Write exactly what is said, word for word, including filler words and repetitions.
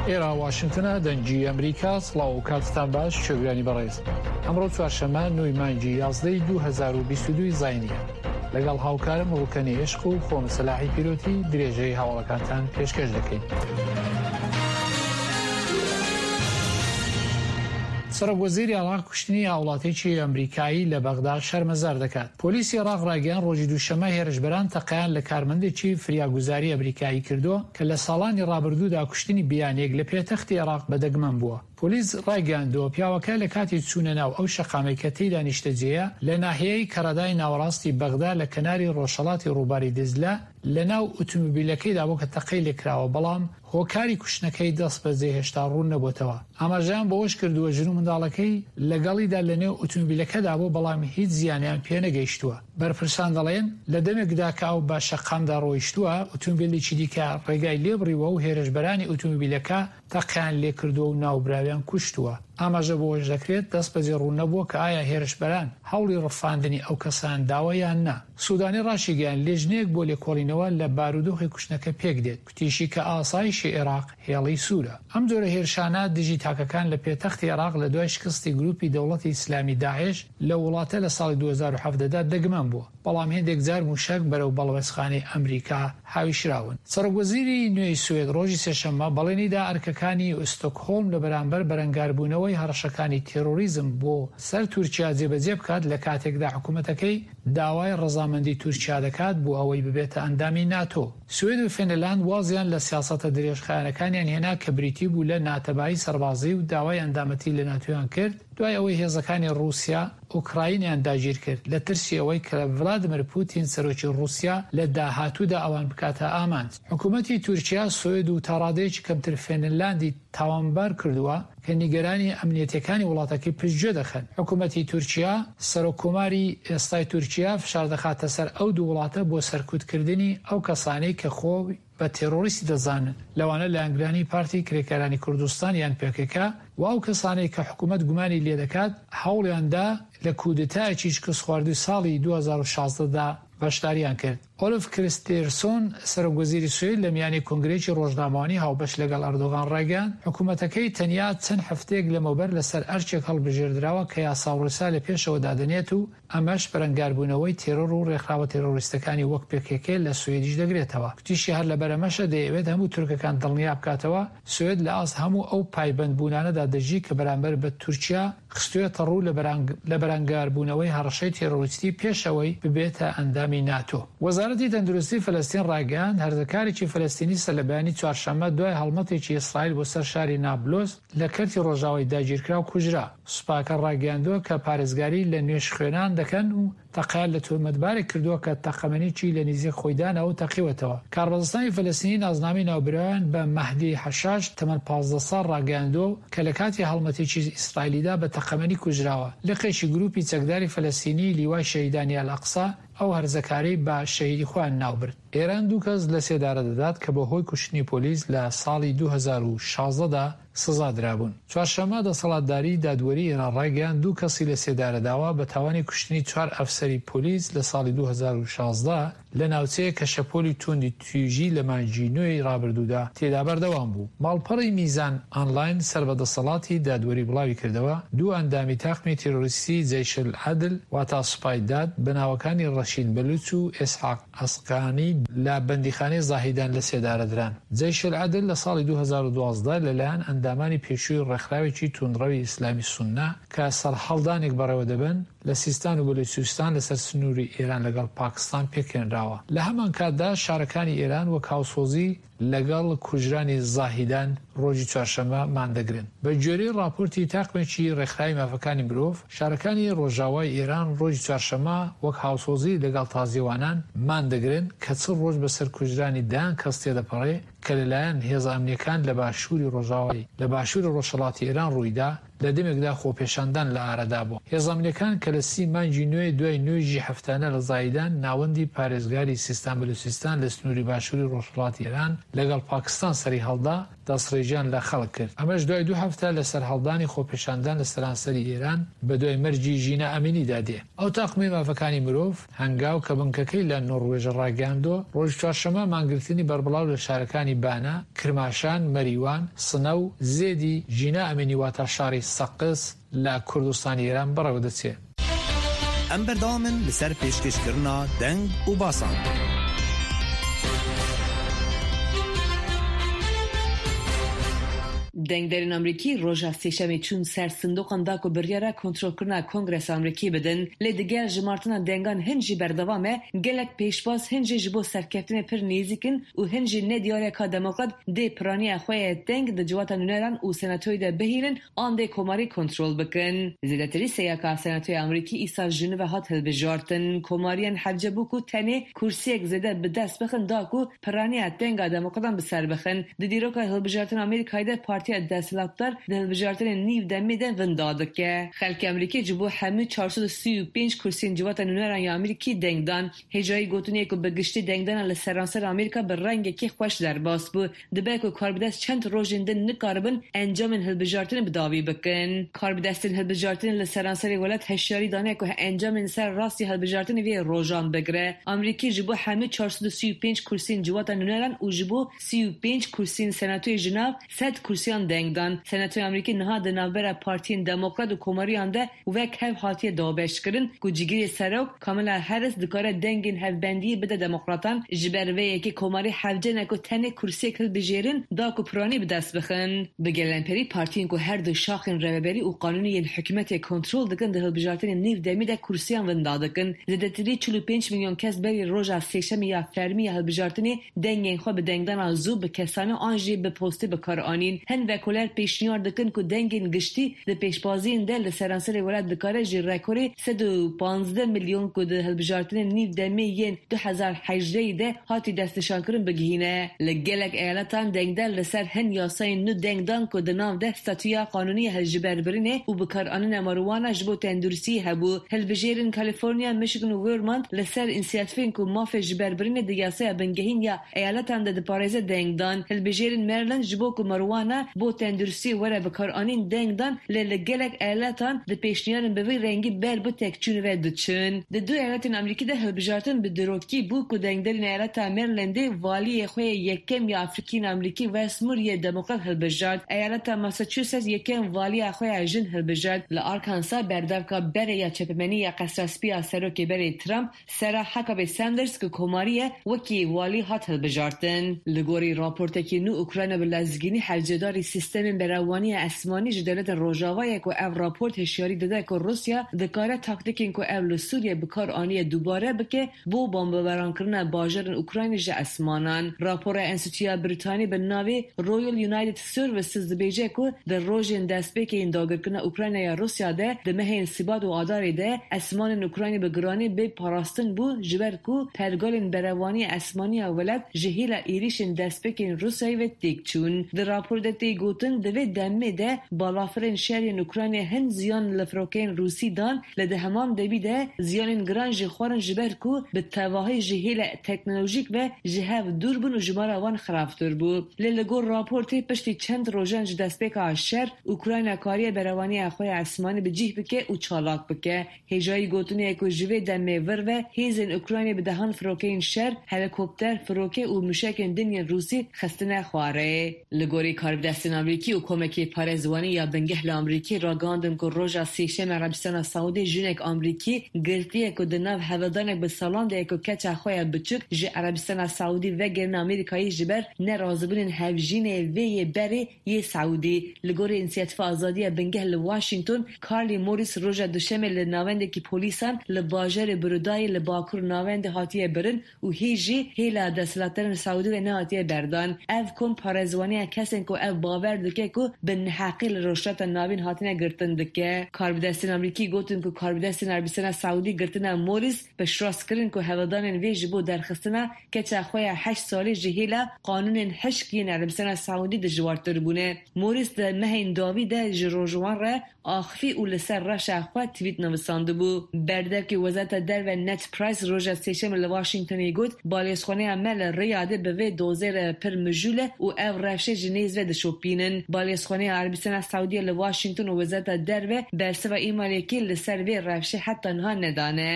ئێرە واشنگتنە، دەنگی ئەمریکا. سڵاو و کاتتان باش چێگرانی بەڕێز. ئەمڕۆ چوارشەممە نۆی مانگی یازدەی دوو هەزار و بیست و دوو زاینیە. لەگەڵ هاوکارم ڕوکەنی عشق و خۆم سەلاحی پیرۆتی درێژەی هەواڵەکانتان پێشکەش دەکەین. سەرۆک وەزیری عێراق کوشتنی هاوڵاتییەکی ئەمریکایی لە بەغدا شەرمەزار دەکات. پۆلیسی عێراق ڕایگەیاند ڕۆژی دووشەممە هێرشبەران تەقەیان لە کارمەندێکی فریاگوزاری ئەمریکایی کردووە کە لە ساڵانی ڕابردوودا کوشتنی بیانییەک لە پێتەختی عێراق بەدەگمەن بووە. پۆلیس ڕایگەیاندووە پیاوەکە لە کاتی چوونە ناو ئەو شەقامەی کە تێیدا نیشتەجێیە لە ناحیەی کەرەدای ناوەڕاستی بەغدا لە کەناری ڕۆژهەڵاتی ڕووباری دجلە لە ناو ئوتومبیلەکەیدا بوو کە تەقەی لێکراوە، بەڵام هۆکاری کوشتنەکەی دەستبەجێ هێشتا ڕوون نەبۆتەوە. ئاماژەیان بەوەش کردووە ژن و منداڵەکەی لەگەڵیدا لەنێو ئوتومبیلەکەدا بوو، بەڵام هیچ زیانیان پێنەگەیشتووە. بەرپرسان دەڵێن لە دەمێکدا کە ئەو بە شەقامدا ڕۆیشتووە، ئوتومبیلێکی دیکە ڕێگای لێبڕیوە و هێرشبەرانی ئوتومبیلەکە تەقەیان لێکردووە و ناوبراویان کوشتووە. ئاماژە بەوەش دەکرێت دەستبەجێ ڕوون نەبووە کە ئایا هێرشبەران هەوڵی ڕفاندنی ئەو کەسان داوە یان نا. سودانی ڕاشیگەیاند لێژنەیەک بۆ لێکۆڵینەوە لە بارودۆخی کوشتنەکە پێک دێت، گوتیشی کە ئاسایشی عێراق هێڵی سوورە. ئەم جۆرە هێرشانە دژی تاکەکان لە پێتەختی عێراق لە دوای شکستی گروپی دەوڵەتی ئیسلامی داعش لە وڵاتە لە ساڵی دوو هەزار و حەڤدە دا دەگمەن بووە، بەڵام هێندێک جار موشەک بەرەو باڵوێزخانەی ئەمریکا هاویشراون. سەرۆک وەزیری نوێی سوێد ڕۆژی سێشەممە بەڵێنیدا ئەرکەکانی ئوستۆکهۆڵم لە بەرامبەر بەرەنگاربوونەوەی هەڕەشەکانی تێرۆریزم بۆ سەر تورکیا جێبەجێ بکات، لە کاتێکدا حکوومەتەکەی داوای ڕەزامەندی تورکیا دەکات بۆ ئەوەی ببێتە ئەندامی ناتۆ. سوێد و فینلاند وازیان لە سیاسەتە درێژخایەنەکانیان هێنا کە بریتی بوو لە ناتەبایی سەربازی و داوای ئەندامەتی لە ناتۆیان کرد دوای ئەوەی هێزەکانی ڕووسیا ئۆکراینیان داگیر کرد لە ترسی ئەوەی کە ڤلادیمیر پوتین سەرۆکی ڕووسیا لە داهاتوودا ئەوان بکاتە ئامانج. حکوومەتی تورکیا سوێد و تاڕادەیەکی کەمتر فینلاندی تاوانبار کردووە کە نیگەرانی ئەمنیەتیەکانی وڵاتەکەی پشتگوێ دەخەن. حکوومەتی تورکیا، سەرۆک کۆماری ئێستای تورکیا فشار دەخاتە سەر ئەو دوو وڵاتە بۆ سەرکوتکردنی ئەو کەسانەی کە خۆی بە تێرۆریستی دەزانن، لەوانە لایەنگرانی پارتی کرێکارانی کوردستان یان پێکێکە و ئەو کەسانەی کە حکوومەت گومانی لێدەکات هەوڵیان دا لە کودتایەکی شکستخواردووی ساڵی دوو هەزار و شازدە دا بەشداریان کرد. ئۆلف کریستێرسۆن سەرۆک وەزیری سوێد لە میانی کۆنگرەیەکی ڕۆژنامەوانی هاوبەش لەگەڵ ئەردۆغان ڕایگەیاند حکوومەتەکەی تەنیا چەند هەفتەیەک لەمەوبەر لەسەر ئەرکێک هەڵبژێردراوە کە یاسا و ڕێسا لە پێشەوە دادەنێت و ئەمەش بەرەنگاربوونەوەی تێرۆر و ڕێکخراوە تێرۆریستەکانی وەک پێکێکێ لە سوێدیش دەگرێتەوە. گوتیشی هەر لەبەرئەمەشە دەیەوێت هەموو تورکەکان دڵنیا بکاتەوە سوێد لە ئاست هەموو ئەو پایبەندبوونانەدا دەژی کە بەرامبەر بە تورکیا خستوویەتە ڕوو لە بەرەنگاربوونەوەی هەڕەشەی تێرۆریستی پێش ئەوەی ببێتە ئەندامی ناتۆ. وەزارەتی تەندروستی فەلەستین ڕایگەیاند، هەرزەکارێکی فەلەستینی سەرلەبەیانی چوارشەممە دوای هەڵمەتێکی ئیسرائیل بۆ سەر شاری نابلۆس لە کەرتی ڕۆژاوای داگیرکراو کوژرا. سوپاکە ڕایگەیاندووە کە پارێزگاری لە نوێژخوێنان دەکەن و تەقەیان لە تۆمەتبارێک کردووە کە تەقەمەنیی لە نزیک خۆی داناوە و تەقیوەتەوە. کاربەدەستانی فەلەستینی نازنامەی ناوبراویان بە مەهدی حەشاش تەمەن پازدە ساڵ ڕاگەیاندووە و کە لە کاتی هەڵمەتێکی ئیسرائیلیدا بە تەقەمەنی کوژراوە. لقێکی گروپی چەکداری فەلەستینی لیوای شەهیدانی ئەلئەقسا ئەو هەرزەکارەی بە شەهیدی خۆیان ناوبرد. ئێران دوو کەس لە سێدارە دەدات کە بەهۆی کوشتنی پۆلیس لە ساڵی دوو هەزار و شازدە دا سزا درابوون. چوارشەممە دەسەڵاتداری دادوەری ئێران ڕایگەیاند دوو کەسی لە سێدارە داوە بە تاوانی کوشتنی چوار ئەفسەری پۆلیس لە ساڵی دوو هەزار و شازدە لە ناوچەیەک کە شەپۆلی توندی تویژی لە مانگی نۆی ڕابردوودا تێدا بەردەوام بوو. ماڵپەڕی میزان ئانلاین سەر بە دەسەڵاتی دادوەری بڵاوی کردەوە دوو ئەندامی تاقمی تیرۆریستی جەیش العدل واتا سوپای داد بە ناوەکانی ڕەشید بەلوچ و ئیسحاق ئەسقانی لە بەندیخانەی زاهیدان لە سێدارە دران. جەیش العدل لە ساڵی دوو هەزار و دوازدە لەلایەن ئەندامانی پێشووی ڕێکخراوێکی توندڕەوی ئیسلامی سوننە کە سەرهەڵدانێک بەڕێوە دەبەن لە سیستان و بەلوچستان لەسەر سنووری ئێران لەگەڵ پاکستان پێکهێنراوە. لە هەمانکاتدا شارەکانی ئێران وەک هاوسۆزی لەگەڵ کوژرانی زاهیدان ڕۆژی چوارشەممە ماندەگرن. بە گوێرەی ڕاپۆرتی تاقمێکی ڕێکخراوی مافەکانی مرۆڤ، شارەکانی ڕۆژاوای ئێران ڕۆژی چوارشەممە وەک هاوسۆزی لەگەڵ تازیەوانان ماندەگرن کە چل ڕۆژ بەسەر کوژرانی دەیان کەس تێدەپەڕێ کە لەلایەن هێزە ئەمنیەکان لە باشووری ڕۆژاوای لە باشووری ڕۆژهەڵاتی ئێران ڕوویدا. لە دەمێکدا خۆپێشاندان لە ئارادا بوو. هێزە ئەمنییەکان کە لە سی مانگی نوێ دوای نوێژی هەفتانە لە زاهیدان، ناوەندی پارێزگاری سیستان بەلوچستان لە سنووری باشووری ڕۆژهەڵاتی ئێران لەگەڵ پاکستان سەریهەڵدا، دەستڕێژیان لە خەڵک کرد. ئەمەش دوای دوو هەفتە لە سەرهەڵدانی خۆپێشاندان لە سەرانسەری ئێران بە دوای مەرگی ژینا ئەمینیدا دێ. ئەو تاقمی مافەکانی مرۆڤ هەنگاو کە بنکەکەی لە نۆروێژ ڕاگەیاندووە، ڕۆژی چوارشەممە مانگرتنی بەربڵاو لە شارەکانی بانە، کرماشان، مەریوان، سنە و زێدی ژینا ئەمینی واتە شاری سەقز لە کوردستانی ئێران بەڕێوە دەچێ. ئەم بەردەوامن لەسەر پێشکەشکردنا دەنگ و باسان. دەنگدەرên Amerîkî roja sêşemê çûn ser sindoqan da ku biryara kontrolkirina Kongresa Amerîkî bidin. Lê digel jimartina dengan hin jî berdewam e, gelek pêşbaz hin jî ji bo serkeftinê pir nêzîk in û hin jî nediyar e ka Demokrat dê piraniya xwe ye deng di civata nûneran û senatoyê de bihêlin an dê komarî kontrol bikin. Zêdetirî sêyeka Senatoya Amerîkî îsal ji nû ve hat hilbijartin. Komariyên hewce bû ku tenê kursiyek zêde bi dest bixin da ku piraniya denga Demokratan bi ser bixin. Di dîroka hilbijartina Amerîkayê de partiya desthilatdar di hilbijartinên nîv demê de winda dike. Xelkê Amerîkî ji bo hemû çar sed û sî û pênc kursiyên civata nûneran ya Amerîkî deng dan. Hêjayî gotinê ku bi giştî dengdana li seranser Amerîka bi rengekî xweş derbas bû. Dibe ku karbidest çend rojên din nikaribin encamên hilbijartinê bi dawî bikin. Karbidestên hilbijartinê li seranserê welat hişyarî dane ku encamên ser rastî hilbijartinê vê rojan bigire. Amerîkî ji bo hemû çar sed û sî û pênc kursiyên civata nûneran û ji bo sî û pênc kursiyên senatoyê ji nav sed kursiyan deng dan. Senatoya Amerîkî niha di navbera partiyên Demokrat û Komariyan de wek hev hatiye dabeşkirin ku cîgirê serok Kamala Harris dikare dengên hevbendiyê bide Demokratan. Ji ber vê yekê Komarî hewce ne ku tenê kursiyek hilbijêrin da ku piranî bi dest bixin. Bi gelemperî partiyên ku her du şaxên rêveberî û qanûnî yên hikûmetê kontrol dikin di hilbijartinên nîv demî de kursiyan winda dikin. Zêdetirî çil û pênc milyon kes berî roja sêşemê ya fermî ya hilbijartinê dengên xwe bi dengdana zû bi kesane an jî bi postê bi kar anîn. Hin vekoler pêşniyar dikin ku dengên giştî di pêşbaziyên de li seranserê welat dikare ji rekorê sed û panzdeh milyon ku di hilbijartinên nîv demê yên du hezar hejdehî de hatî destnîşankirin bigihîne. Li gelek eyaletan dengder li ser hin yasayên nû deng dan ku di nav de statûya qanûnî hiljiberbirinê û bikaranîna marijuana ji bo tenduristiyê hebû. Hilbijêrên Kaliforniya, Michigan û Vermont li ser înisiyatîfên ku mafê jiberbirinê di yasaya bingehîn ya eyaletan de diparêze deng dan. Hilbijêrên Maryland ji bo ku marijuana bo tenduristiyê were bikaranîn deng dan, lê li gelek eyaletan di pêşniyarên bi vî rengî ber bi tekçûnê ve diçin. Di du eyaletên Amerîkî de hilbijartin bi dîrokî bû ku dengderên eyaleta Marylandê valiyê xwe yê yekem ya Afrikîn Amerîkî Wes Moore yê Demokrat hilbijart. Eyaleta Massachusetts yekem valiya xwe ya jin hilbijart. Li Arkansas berdevka berê ya çepemenî ya Qesra Spî ya Serokê berê Trump Sarah Huckabee Sanders ku komarî ye wekî walî hat hilbijartin. Li gorî raportekî nû Ukrayna bi lezgînî hewcedarî sîstemên berevaniya esmanî ji dewletên Rojava ye ku ev raport hişyarî dide ku Rûsya dikare taktîkên ku ew li Sûriye bi kar aniye dubare bike bo bombebarankirina bajarên Ukraynê ji esmanan. Rapora Enstîtuya Brîtanî bi navê Royal United Services dibêje ku di rojên destpêkê yên dagirkirina Ukrayna ya Rûsya de di mehên Sibat û Adarê de esmanên Ukraynê bi giranî bê parastin bû ji ber ku pergalên berevaniya esmanî ya welat ji hêla êrişên destpêkên Rûsyayê ve têk çûn. Di raporê de tê gotin di vê demê de balafirên şerên Ukraynê hin ziyan li firokeyên Rûsî dan lê di heman demî de ziyanên giran jî xwarin ji ber ku bi tevahî ji hêla teknolojîk ve ji hev dûr bûn û jimara wan xirabtir bû. Lê li gor raportê piştî çend rojan ji destpêka şer Ukrayna kariye berevaniya xwe ya esmanî bi cih bike û çalak bike. Hêjayî gotinê ye ku ji vê demê vir ve hêzên Ukraynê bi dehan firokeyên şer, helikopter, firoke û mûşekên din yên Rûsî xistine xwarê. Li gorî karbidestên Amerîkî û komekê parêzwanî ya bingeh li Amerîkî ragihandin ku roja sêşemê Erebistana Saûdê jinek Amerîkî girtiye ku di nav hevdanek bi salan de ye ku keça xwe ya biçûk ji Erebistana Saûdî vegerîne Amerîkayê ji ber nerazîbûnên hevjînê vê yê berê yê Saûdî. Li gorî Înisiyatîfa Azadiya Bingeh li Washington, Carly Morris roja duşemê li navendekî polîsan li bajarê Brudayê li bakur navendê hatiye birin û hê jî hêla desthilatdarên Saûdî ve nehatiye berdan. Ev kom parêzwaniya kesên ku ev bavê Bawer dike ku bi neheqî li Rojhilata Navîn hatine girtin dike. Karbidestên Amerîkî gotin ku karbidestên Erebistana Saudî girtina Morris piştrast kirin ku hewldanên vê ji bo derxistina keça xwe ya heşt salî ji hêla qanûnên hişk yên Erebistana Saudî dijwartir bûne. Morris di mehên dawî de ji rojwan re axivî û li ser rewşa xwe tweet nivîsandibû. Berdevkê Wezareta Derve Ned Price roja Sêşemê li Washingtonê got, Balyozxaneya me li Riyadê bi vê dozê re pir mijûl e û ev rewşê ji nêz ve dişopînin. Balyozxaneya Erebistana Saudiyê li Washington û Wezareta Derve bersiva e-mailekê li ser vê rewşê heta niha nedane.